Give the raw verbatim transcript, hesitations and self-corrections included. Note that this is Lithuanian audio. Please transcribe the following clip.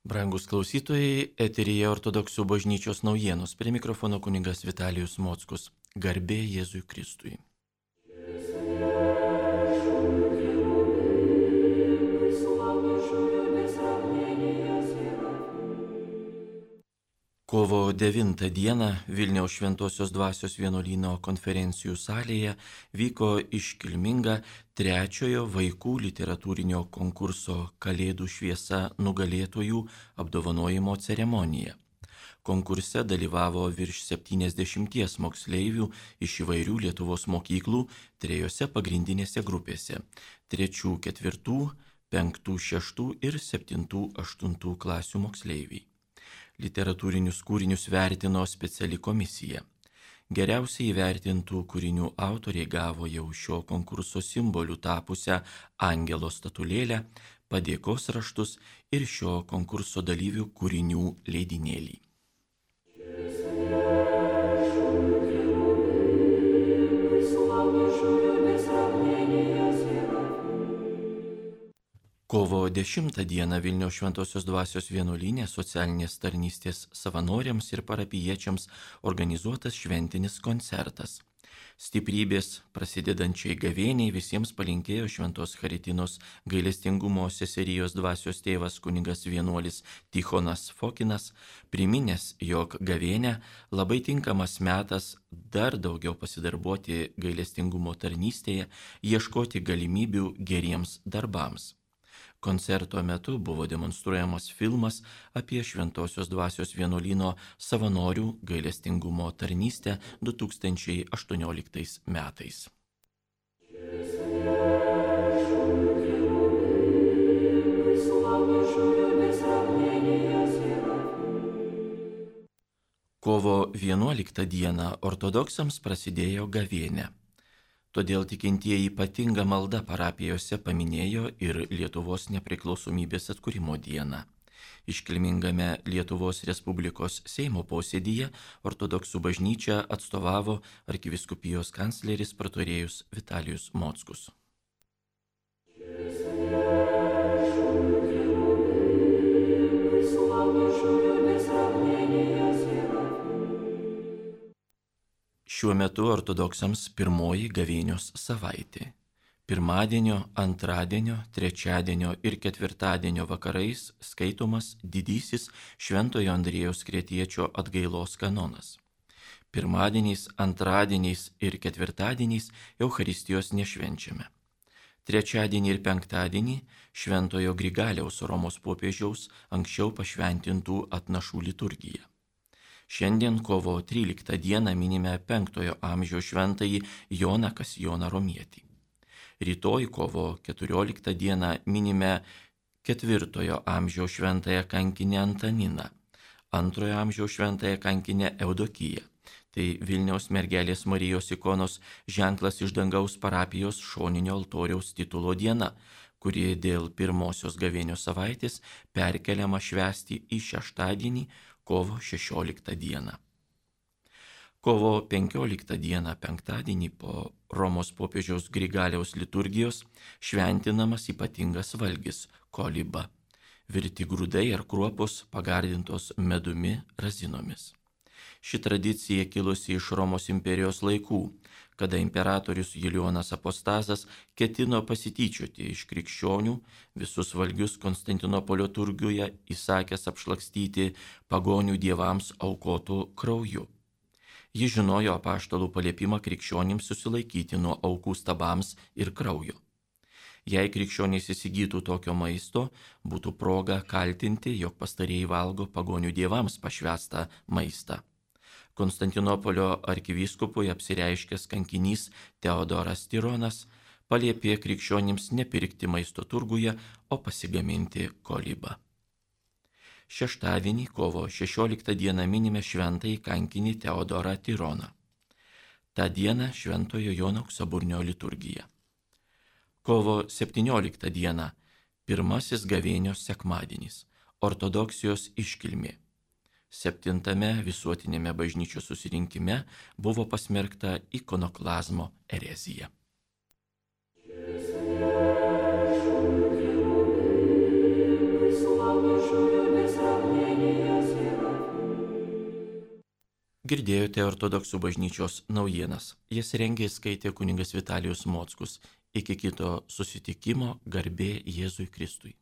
Brangus klausytojai, eteryje Ortodoksų bažnyčios naujienos. Prie mikrofono kunigas Vitalijus Mockus. Garbė Jėzui Kristui. Kovo devintą dieną Vilniaus Šventosios Dvasios vienuolyno konferencijų salėje vyko iškilminga trečiojo vaikų literatūrinio konkurso Kalėdų šviesa nugalėtojų apdovanojimo ceremonija. Konkurse dalyvavo virš septyniasdešimties moksleivių iš įvairių Lietuvos mokyklų trejose pagrindinėse grupėse – trečių, ketvirtų, penktų, šeštų ir septintų, aštuntų klasių moksleiviai. Literatūrinius kūrinius vertino speciali komisija. Geriausiai įvertintų kūrinių autoriai gavo jau šio konkurso simboliu tapusią angelo statulėlę, padėkos raštus ir šio konkurso dalyvių kūrinių leidinėlį. Kovo dešimtą dieną Vilniaus Šventosios Dvasios vienuolyne socialinės tarnystės savanoriams ir parapijiečiams organizuotas šventinis koncertas. Stiprybės prasidedančiai gavėniai visiems palinkėjo Šventos Charitinos gailestingumo seserijos dvasios tėvas kunigas vienuolis Tichonas Fokinas, priminęs, jog gavėnia labai tinkamas metas dar daugiau pasidarbuoti gailestingumo tarnystėje, ieškoti galimybių geriems darbams. Koncerto metu buvo demonstruojamas filmas apie Šventosios Dvasios vienuolyno savanorių gailestingumo tarnystę du tūkstančiai aštuonioliktais metais. Kovo vienuoliktą dieną ortodoksams prasidėjo gavėnia. Todėl tikintieji ypatingą maldą parapijose paminėjo ir Lietuvos nepriklausomybės atkūrimo dieną. Iškilmingame Lietuvos Respublikos Seimo posėdyje ortodoksų bažnyčią atstovavo arkivyskupijos kancleris praturėjus Vitalijus Mockus. Šiuo metu ortodoksams pirmoji gavėnios savaitė. Pirmadienio, antradienio, trečiadienio ir ketvirtadienio vakarais skaitomas didysis Šventojo Andriejaus Kretiečio atgailos kanonas. Pirmadieniais, antradieniais ir ketvirtadieniais Eucharistijos nešvenčiame. Trečiadienį ir penktadienį Šventojo Grigaliaus Romos popiežiaus anksčiau pašventintų atnašų liturgiją. Šiandien kovo tryliktą dieną minime penktojo amžiaus šventąjį Joną Kasijoną Romietį. Rytoj kovo keturioliktą dieną minime ketvirtojo amžiaus šventąją kankinę Antaniną, antrojo amžiaus šventąją kankinę Eudokiją. Tai Vilniaus mergelės Marijos ikonos ženklas iš dangaus parapijos šoninio altoriaus titulo diena, kuri dėl pirmosios gavėnios savaitės perkeliama švęsti į šeštadienį, kovo šešioliktą dieną. Kovo penkioliktą dieną, penktadienį po Romos popiežiaus Grigaliaus liturgijos šventinamas ypatingas valgis – koliba, virti grūdai ar kruopos pagardintos medumi razinomis. Ši tradicija kilusi iš Romos imperijos laikų, kada imperatorius Julijonas Apostazas ketino pasityčioti iš krikščionių, visus valgius Konstantinopolio turguje įsakęs apšlakstyti pagonių dievams aukotų krauju. Jis žinojo apaštalų paliepimą krikščionims susilaikyti nuo aukų stabams ir kraujo. Jei krikščionys įsigytų tokio maisto, būtų proga kaltinti, jog pastarieji valgo pagonių dievams pašvęstą maistą. Konstantinopolio arkivyskupui apsireiškęs kankinys Teodoras Tironas paliepė krikščionims nepirkti maisto turguje, o pasigaminti kolibą. Šeštadienį, kovo šešioliktą dieną minime šventąjį kankinį Teodorą Tironą. Ta diena Šventojo Jono Auksaburnio liturgija. Kovo septynioliktą dieną pirmasis gavėnios sekmadienis, ortodoksijos iškilmė. Septintame visuotinėme bažnyčios susirinkime buvo pasmerkta ikonoklazmo erezija. Slava Girdėjote ortodoksų bažnyčios naujienas. Jas rengė ir skaitė kunigas Vitalijus Mockus. Iki kito susitikimo, garbė Jėzui Kristui.